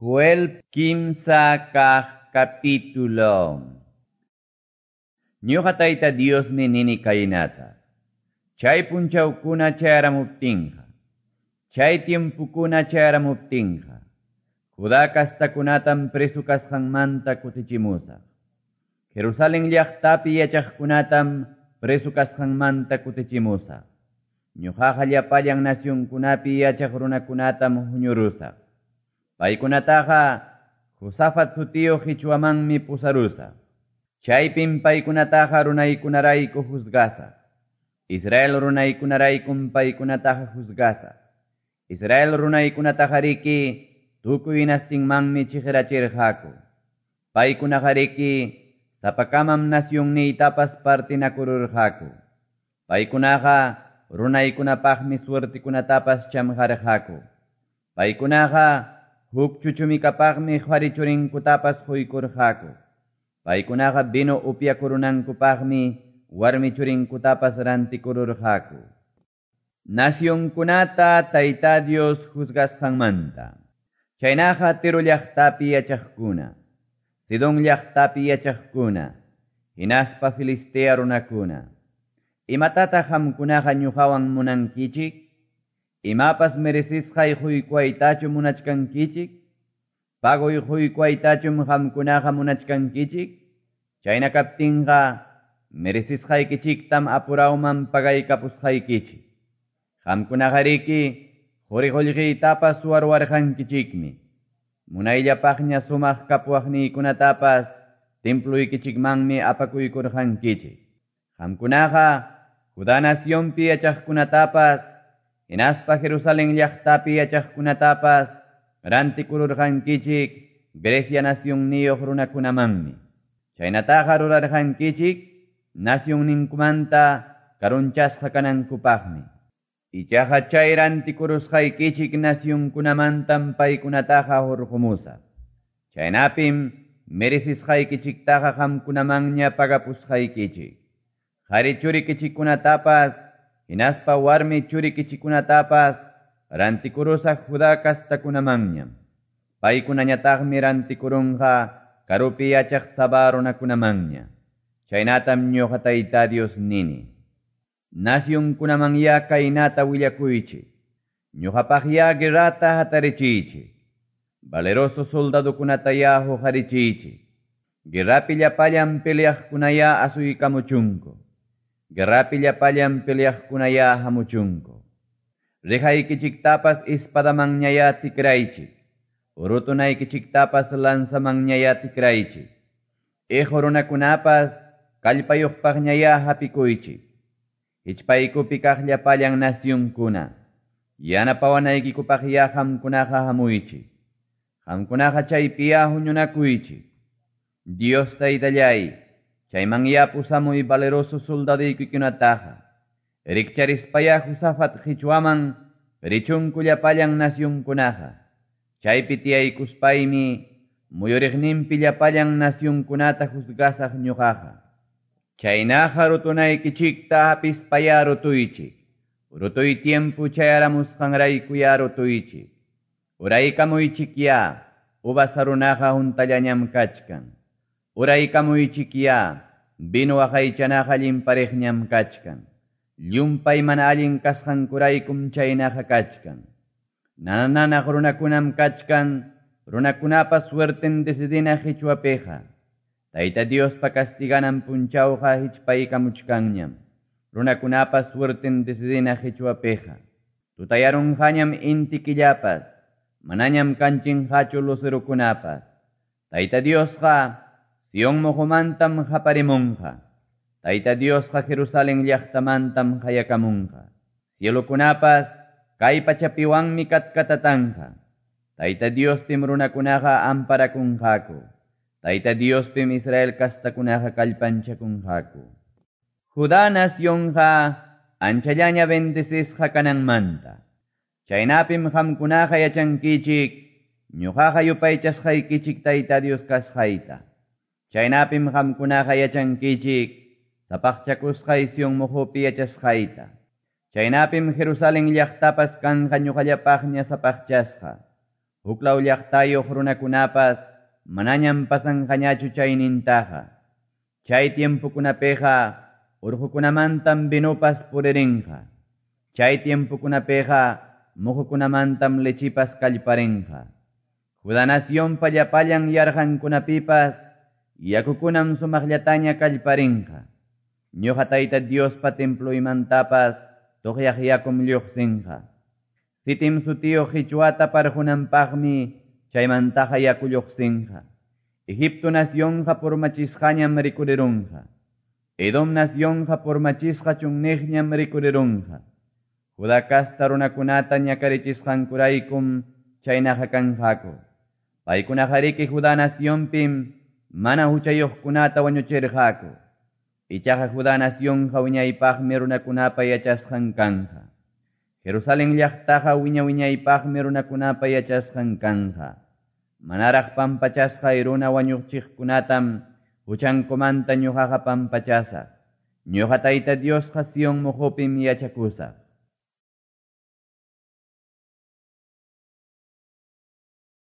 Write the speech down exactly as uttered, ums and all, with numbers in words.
Joel kimsa kaq capítulo. Ñuqa Tayta Diosmi nini kaynata. Chay punchawkuna chayaramuptinqa, chay tiempukuna chayaramuptinqa, Judá kastakunatam preso kasqanmanta kutichimusaq. Jerusalén llaqtapi yachaqkunatam preso kasqanmanta kutichimusaq. Ñuqaqa llapallan nacionkunapi yachaq runakunatam huñurusaq. Paykunataqa Josafat sutiyuq qichwamanmi pusarusaq. Chaypim paykunataqa runaykunarayku juzgasaq. Israel runaykunaraykum paykunataqa juzgasaq. Israel runaykunataqariki tukuy nastinmanmi chiqirachirqaku. Paykunaqariki sapakamam nacionniytapas partinakururqaku. Paykunaqa runaykunapaqmi suertikunatapas chamqarqaku. Paykunaqa huk chuchumikapaqmi qhari churinkutapas quykurqaku. Paykunaqa vino upyakurunankupaqmi warmi churinkutapas rantikururqaku. Nacionkunata Tayta Dios juzgasqanmanta. Chaynaqa Tiro llaqtapi yachaqkuna, Sidón llaqtapi yachaqkuna, hinaspa Filistea runakuna. Imatataq qamkunaqa ñuqawan munankichik? Imapas merecisqay quykuwaytachu munachkankichik? Pagoy quykuwaytachum qamkunaqa munachkankichik? Chayna kaptinqa merecisqaykichiktam apurawman pagaykapusqaykichik. Qamkunaqariki quri qullqiytapas suwarwarqankichikmi. Munayllapaqña sumaq kapuwaqniykunatapas templuykichikmanmi apakuykurqankichik. Qamkunaqa Judá nacionpi yachaqkunatapas hinaspa Jerusalén llaqtapi yachaqkunatapas rantikururqankichik Grecia nacionniyuq runakunamanmi. Chaynataqa rurarqankichik nacionninkumanta karunchasqa kanankupaqmi. Ichaqa chay rantikurusqaykichik nacionkunamantam paykunataqa hurqumusaq. Chaynapim merecisqaykichiktaqa qamkunamanña pagapusqaykichik. Qhari churikichikkunatapas hinaspa warmi churikichikkunatapas rantikurusaq Judá kastakunamanñam. Paykunañataqmi rantikurunqa karupi yachaq Sabá runakunamanña. Chaynatam ñuqa Tayta Dios nini. Nacionkunamanya kaynata willakuychik. Ñuqapaqya guerrata hatarichiychik. Valeroso soldadokunataya huqarichiychik. Guerrapi llapallan peleaqkunaya asuykamuchunku. Guerrapi llapallan peleaqkunaya hamuchunku. Rihaykichiktapas espadamanñaya tikraychik. Rutunaykichiktapas lanzamanñaya tikraychik. Iqu runakunapas kallpayuqpaqñaya hapikuychik. Hichpaykupi kaq llapallan nacionkuna. Yanapawanaykikupaqya qamkunaqa hamuychik. Qamkunaqa chaypiya huñunakuychik. Dios Taytallay, chaymanya pusamuy valeroso soldaduykikunataqa. Rikcharispaya Josafat qichwaman richunku llapallan nacionkunaqa. Chaypi tiyaykuspaymi muyuriqninpi llapallan nacionkunata juzgasaq ñuqaqa. Chaynaqa rutunaykichikta hapispaya rutuychik. Rutuy tiempo chayaramusqanraykuya rutuychik. Uraykamuychikya, uvas runaqa huntallañam kachkan. Uraykamuychikya, vino waqaychanaqa llimpariqñam kachkan. Llumpay mana allin kasqankuraykum chaynaqa kachkan. Nanananaq runakunam kachkan, runakunapa suerten decidina qichwapiqa. Tayta Diospa castiganan punchawqa hichpaykamuchkanñam. Runakunapa suerten decidina qichwapiqa. Tutayarunqañam inti killapas, manañam kanchinqachu lucerukunapas. Tayta Diosqa Sion muhumantam haparimunqa. Tayta Diosqa Jerusalén llaqtamantam hayakamunqa. Cielukunapas kay pachapiwanmi katkatatanqa. Tayta Diospim runakunaqa amparakunqaku. Tayta Diospim Israel kastakunaqa kallpanchakunqaku. Judá nacionqa anchallaña bendecisqa kananmanta. Chaynapim qamkunaqa yachankichik, ñuqaqa yupaychasqaykichik Tayta Dios kasqayta. Chaynapim qamkunaqa yachankichik, sapaqchakusqay Sion muhupi yachasqayta. Chaynapim Jerusalén llaqtapas kanqa ñuqallapaqña sapaqchasqa. Huklaw llaqtayuq runakunapas manañam pasanqañachu chaynintaqa. Chay tiempokunapiqa orqokunamantam vinopas puririnqa. Chay tiempokunapiqa moqokunamantam lechipas kallparinqa. Judá nacionpa llapallan yarqankunapipas yakukunam sumaqllataña kallparinqa. Ñuqa Tayta Diospa temploymantapas toqyaq yakum lluqsinqa. Sitim sutiyuq qichwata parqunanpaqmi chaymantaqa yaku lluqsinqa. Egipto nacionqa purmachisqañam rikurirunqa. Edom nacionqa purmachisqa chunniqñam rikurirunqa. Judá casta runakunata ñakarichisqankuraykum chaynaqa kanqaku. Paykunaqariki Judá nacionpim mana huchayuqkunata wañuchirqaku. Ichaqa Judá nacionqa wiñaypaqmi runakunapa yachasqan kanqa. Jerusalén llaqtaqa wiña-wiñaypaqmi runakunapa yachasqan kanqa. Manaraq pampachasqay runa wañuchiqkunatam huchankumanta ñuqaqa pampachasaq. Ñuqa Tayta Diosqa Sion moqopim yachakusaq.